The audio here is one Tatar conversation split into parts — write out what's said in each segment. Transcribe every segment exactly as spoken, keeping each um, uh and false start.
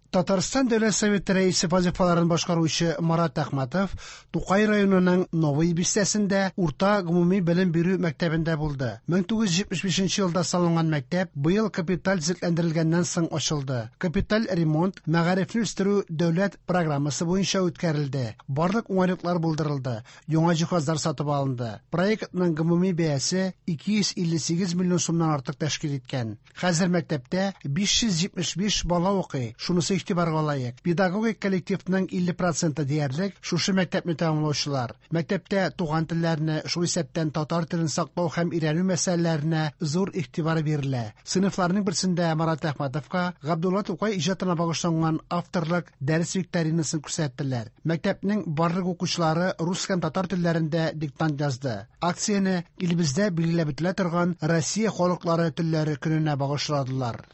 Татарстан Дәүләт Советы рәисе вазифаларын башкаручы Марат Әхмәтов Тукай районының Новый бистәсендә урта гомуми белем бирү мәктәбендә булды. мең тугыз йөз җитмеш бишенче елда салынган мәктәп быел капиталь төзекләндерелгәннән соң ачылды. Капиталь ремонт мәгарифне үстерү дәүләт программасы буенча үткәрелде. Барлык уңайлыклар булдырылды, яңа җиһазлар сатып алынды. Проектның гомуми бәясе ике йөз илле сигез миллион сумнан артык тәшкил иткән. Хәзер мәктәптә биш йөз җитмеш биш бала укый. Шунысы игътибарга лаек. Педагогик коллективның илле проценты диярлек шушы мәктәпне тәмамлаучылар. Мәктәптә туган телләрне, шул исәптән татар телен саклау һәм өйрәнү мәсьәләләренә зур игътибар бирелә. Сыйныфларның берсендә Марат Әхмәтовка Габдулла Тукай иҗатына багышланган авторлык дәрес викторинасын күрсәттеләр. Мәктәпнең барлык укучылары рус һәм татар телләрендә диктант язды. Акцияне илебездә билгеләп үтелә торган Россия халыклары телләре көненә багышладылар.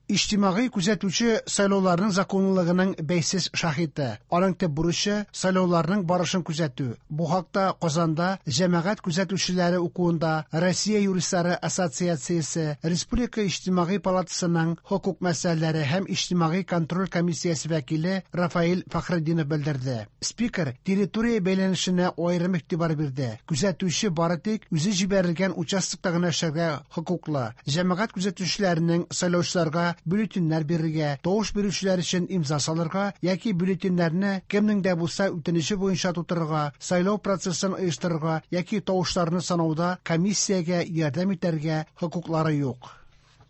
Иҗтимагый күзәтүче сайлауларның законлылыгының бәйсез шаһиты. Аның төп бурычы сайлауларның барышын күзәтү. Бу хакта Казанда җәмәгать күзәтүчеләре укуында Россия юристлары ассоциациясе, Республика иҗтимагый палатасының хокук мәсьәләләре һәм иҗтимагый контроль комиссиясе вәкиле Рафаэль Фәхретдинов белдерде. Спикер территория бәйләнешенә аерым игътибар бирде. Күзәтүче бары тик үзе җибәрелгән участокта гына эшләргә хокуклы. Җәмәгать күзәтүчеләренең сайлаучыларга бюллетеньнәр бирергә, тавыш бирүчеләр өчен имза салырга яки бюллетеньнәрне кемнең дә булса үтенече буенча тутырырга, сайлау процессын оештырырга яки тавышларны санауда комиссиягә ярдәм итәргә хокуклары юк.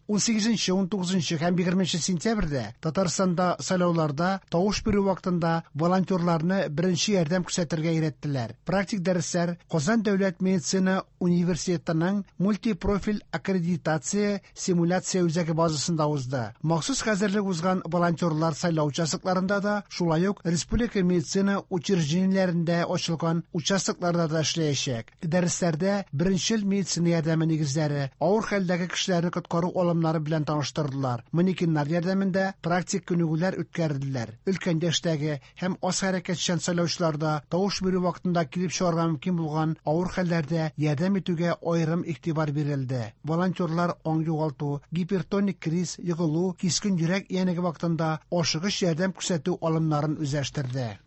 Ун сигезенче, ун тугызынчы һәм егерменче сентябрьдә Татарстанда сайлауларда тавыш бирү вакытында волонтерларны беренче ярдәм күрсәтергә өйрәттеләр. Практик дәресләр Казан дәүләт медицина университетының мультипрофиль аккредитация симуляция үзәге базасында узды. Махсус хәзерлек узган волонтерлар сайлау участокларында да, шулай ук республика медицина учреждениеләрендә ачылган участокларда да эшләячәк. Дәресләрдә беренчел медицина ярдәме нигезләре, авыр хәлдәге кешеләрне коткару алымнары белән таныштырдылар. Манекеннар ярдәмендә практик күнегүләр үткәрделәр. Өлкән яшьтәге һәм аз хәрәкәтчән сайлаучыларда тавыш бирү вакытында килеп чыгарга мөмкин булган авыр хәлләрдә ярдәм итүгә аерым игътибар бирелде. Волонтерлар аң югалту, гипертоник криз, егылу, кискен йөрәк янеге вакытында ашыгыч ярдәм күрсәтү алымнарын үзләштерде.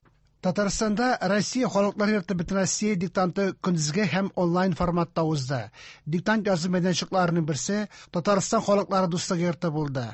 Татарстанда Россия халыклар йорты Бөтенроссия диктанты көндезге һәм онлайн форматта узды. Диктант язу мәйданчыкларының берсе Татарстан халыклары дуслыгы йорты булды.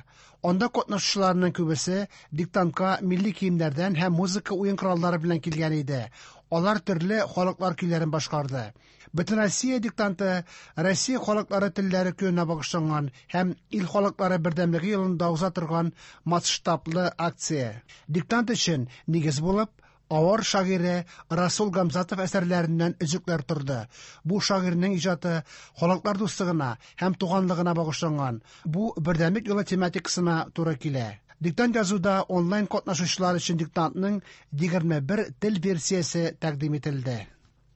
Анда катнашучыларның күбесе диктантка милли киемнәрдән һәм музыка уен кораллары белән килгән иде. Алар төрле халыклар көйләрен башкарды. Бөтенроссия диктанты Россия халыклары телләре көненә багышланган һәм ил халыклары бердәмлеге елында уза торган масштаблы акция. Диктант өчен нигез булып авар шагыйре Расул Гамзатов әсәрләреннән өзекләр торды. Бу шагыйрьнең иҗаты халыклар дуслыгына һәм туганлыгына багышланган. Бу бердәмлек юлы тематикасына туры килә. Диктант язуда онлайн катнашучылар өчен диктантның егерме бер тел версиясе тәкъдим ителде.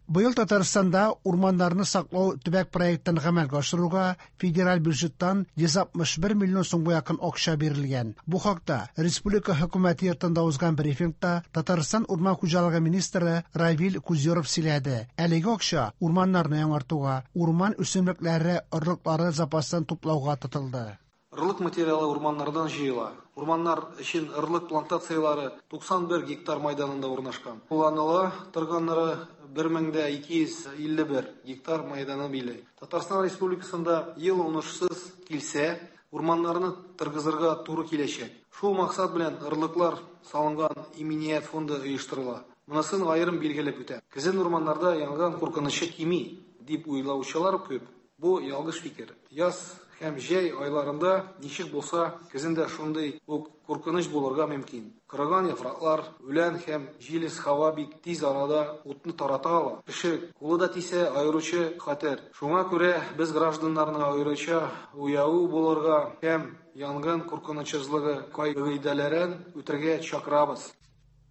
Быел Татарстанда урманнарны саклау төбәк проектын гамәлгә ашыруга федераль бюджеттан йөз алтмыш бер миллион сумга якын акча бирелгән. Бу хакта республика хөкүмәте йортында узган брифингта Татарстан урман хуҗалыгы министры Равил Кузюров сөйләде. Әлеге акча урманнарны яңартуга, урман үсемлекләре орлыклары запасын туплауга тотылды. Орлык материалы урманнардан җыела. Урманнар өчен орлык плантацияләре туксан бер гектар майданында урнашкан. Кулланыла торганнары бер мең дә ике йөз илле бер гектар майданы били. Татарстан Республикасында ел уңышсыз килсә, урманнарны торгызырга туры киләчәк. Шул максат белән орлыклар салынган иминият фонды оештырыла. Монысын аерым билгеләп үтә. Көзен урманнарда янгын куркынычы кими дип уйлаучылар күп. Бу ялгыш фикер. Яз һәм җәй айларында ничек булса, көзен дә шундый ук куркыныч булырга мөмкин. Кырыган яфраклар, үлән һәм җилес һава бик тиз арада утны тарата ала. Кеше кулы да тисә, аеруча хәтәр. Шуңа күрә без гражданнарны аеруча уяу булырга һәм янгын куркынычсызлыгы кагыйдәләрен үтәргә чакырабыз.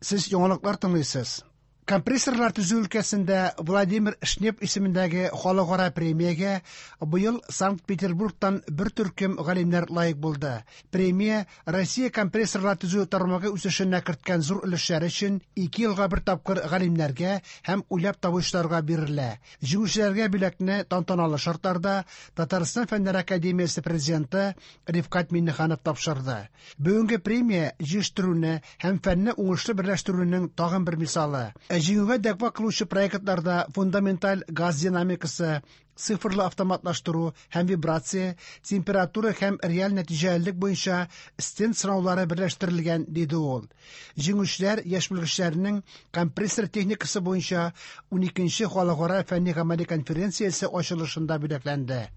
Сез яңалыклар тыңлыйсыз. Компрессорлар төзү өлкәсендә Владимир Шнеп исемендәге халыкара премиягә быел Санкт-Петербургтан бер төркем галимнәр лаек булды. Премия Россия компрессорлар төзү тармагы үсешенә керткән зур өлешләре өчен ике елга бер тапкыр галимнәргә һәм уйлап табучыларга бирелә. Җиңүчеләргә бүләкне тантаналы шартларда Татарстан Фәннәр академиясе президенты Рифкать Миңнеханов тапшырды. Бүгенге премия җитештерүне һәм фәнне уңышлы берләштерүнең тагын бер мисалы. Җиңүгә дәгъва кылучы проектларда фундаменталь газ динамикасы, цифрлы автоматлаштыру һәм вибрация, температура һәм реаль нәтиҗәлелек буенча стенд сынаулары берләштерелгән, диде ул. Җиңүчеләр яшь белгечләрнең компрессор техникасы буенча уникенче халыкара фәнни-гамәли конференциясе ачылышында бүләкләнде.